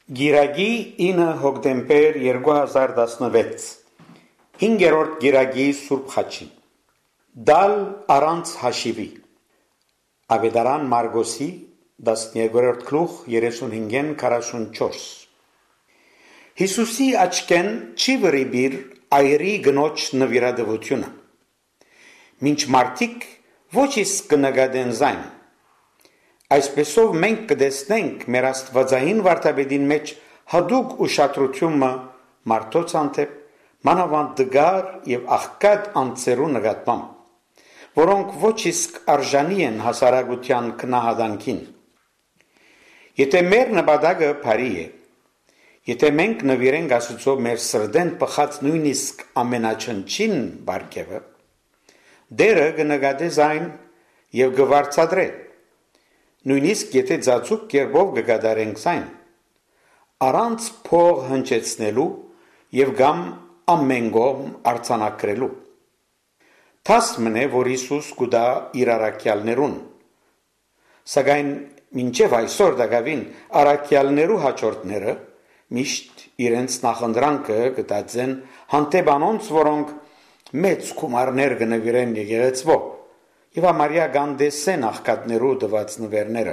Գիրագի 9 հոկտեմբեր 2016 5-րդ գիրագի Սուրբ Խաչին Դալ առանց հաշիվի Ավետարան Մարգոսի 12-րդ գլուխ 35-44 Հիսուսի աչքեն չի վրիբիր այրի գնոջ նվիրատվությունը Մինչ մարդիկ ոչ իսկ կնկատեն զայն Այսպեսով մենք կտեսնենք մեր աստվածային վարդապետին մեջ հատուկ ուշադրությունը մարդոց հանդեպ մանավանդ դգար եւ աղքատ անձերու նկատմամբ, որոնք ոչ իսկ արժանի են հասարակության քնահանդանքին։ Եթե մեր նպատակը բարի է, եթե մենք նվիրենք Աստծո մեր սրտեն պխած նույնիսկ ամենաչնչին բարգևը, Դերը կնկատի զայն եւ կվարձատրե Նույնիսկ եթե ծածուկ կերպով կկատարենք զայն, առանց փող հնչեցնելու եւ կամ ամեն կողմ արձանագրելու։ Թասմն է, որ Հիսուս կուտա իր առաքյալներուն, սակայն մինչև այսօր դակավին առաքյալներու հաջորդները միշտ իրենց նախնդրանքը կտածեն հանդեպ անոնց, որոնք մեծ գումարներ կնվիրեն եկեղեցվո Եվ ամարյա գանդեսեն աղքատներու տված նվերները։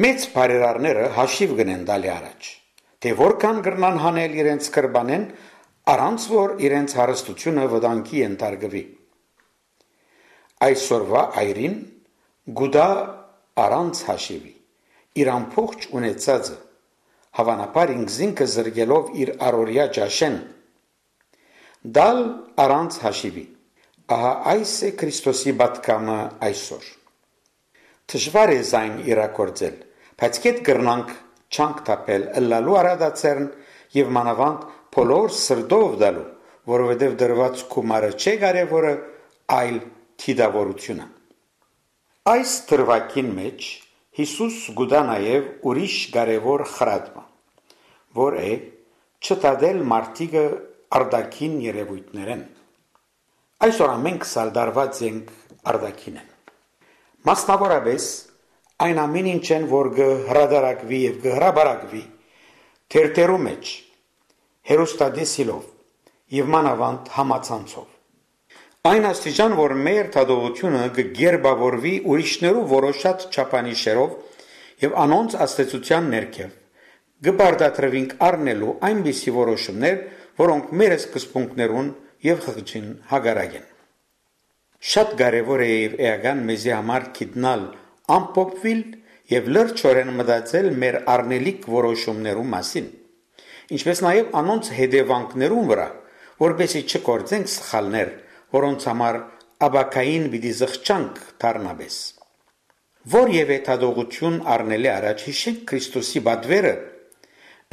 Մեծ բարերարները հաշիվ գնեն տալի առաջ, թե որքան կրնան հանել իրենց կրբանեն, առանց որ իրենց հարստությունը վտանգի ենթարկվի։ Այսօրվա այրին գուտա առանց հաշիվի, իր ամբողջ ունեցածը, հավանաբար ինքզինքը զրկելով իր առօրյա ճաշեն, դալ առանց հաշիվի։ Ահա այս է Քրիստոսի պատգամը այսօր։ Դժվար է զայն իրագործել, բայց կետ կրնանք չանք տապել ըլլալու արադացերն եւ մանավանդ բոլոր սրտով դալու, որովհետեւ դրված գումարը չէ կարևորը, այլ թիդավորությունը։ Այս դրվագին մեջ Հիսուս գուտա նաեւ ուրիշ կարևոր խրատմա, որ է չտադել մարդիկը արդակին երևույթներեն։ Այսօր մենք սալդարված ենք արդակին են։ Մասնավորապես այն ամեն ինչեն, որ կհրադարակվի եւ կհրաբարակվի թերթերու մեջ, հերոստատեսիլով եւ մանավանդ համացանցով։ Այն աստիճան, որ մեր թադողությունը կգերբավորվի ուրիշներու որոշած չափանիշերով եւ անոնց աստեցության ներքև, կբարդատրվենք առնելու այնպիսի որոշումներ, որոնք մեր սկզբունքներուն եւ խղճին հագարակ են։ Շատ կարևոր է եւ էական մեզի համար գիտնալ ամփոփվել եւ լրջորեն մտածել մեր առնելիք որոշումներու մասին, ինչպես նաեւ անոնց հետևանքներուն վրա, որպեսզի չկործենք սխալներ, որոնց համար աբակային պիտի զղջանք դառնաբես։ Որևէ թադողություն առնելի առաջ հիշենք Քրիստոսի պատվերը,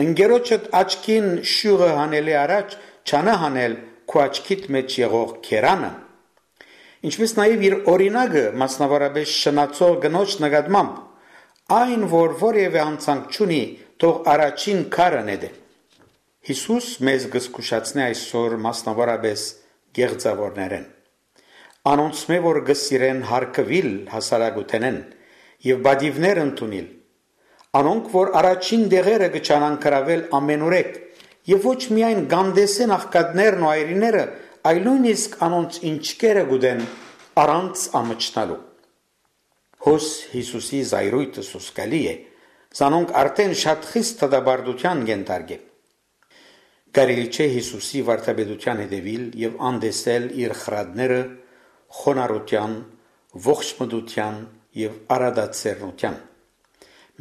ընկերոջդ աչքին շյուղը հանելի առաջ չանա հանել քո աչքիդ մեջ եղող քերանը, ինչպես նաև իր օրինակը մասնավորապես շնացող գնոջ նկատմամբ, այն որ որևէ անցանք չունի, թող առաջին քարը նետե։ Հիսուս մեզ կզգուշացնի այսօր մասնավորապես գեղձավորներեն, անոնց մե որ գսիրեն հարկվիլ հասարակութենեն եւ բադիվներ ընդունել, անոնք որ առաջին դեղերը կչանան կրավել ամենուրեք Եվ ոչ միայն գանդեսեն աղքատներն ու այրիները, այլ նույնիսկ անոնց ինչկերը գուտեն առանց ամճնալու։ Հոս Հիսուսի զայրույթը սոսկալի է, զանոնք արդեն շատ խիստ թադաբարդության ենթարկեն։ Կարելի չէ Հիսուսի վարդապետության հետևել եւ անդեսել իր խրատները խոնարհության, ողջմտության եւ արադացերնության։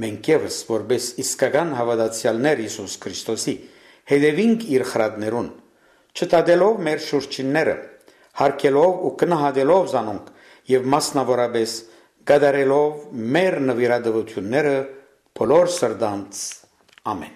Մենք եւս որպես իսկական հավատացյալներ Հիսուս Քրիստոսի Հետևինք իր խրատներուն, չտադելով մեր շուրջինները, հարկելով ու կնահատելով զանոնք եւ մասնավորապես կատարելով մեր նվիրատվությունները բոլոր սրտանց ամեն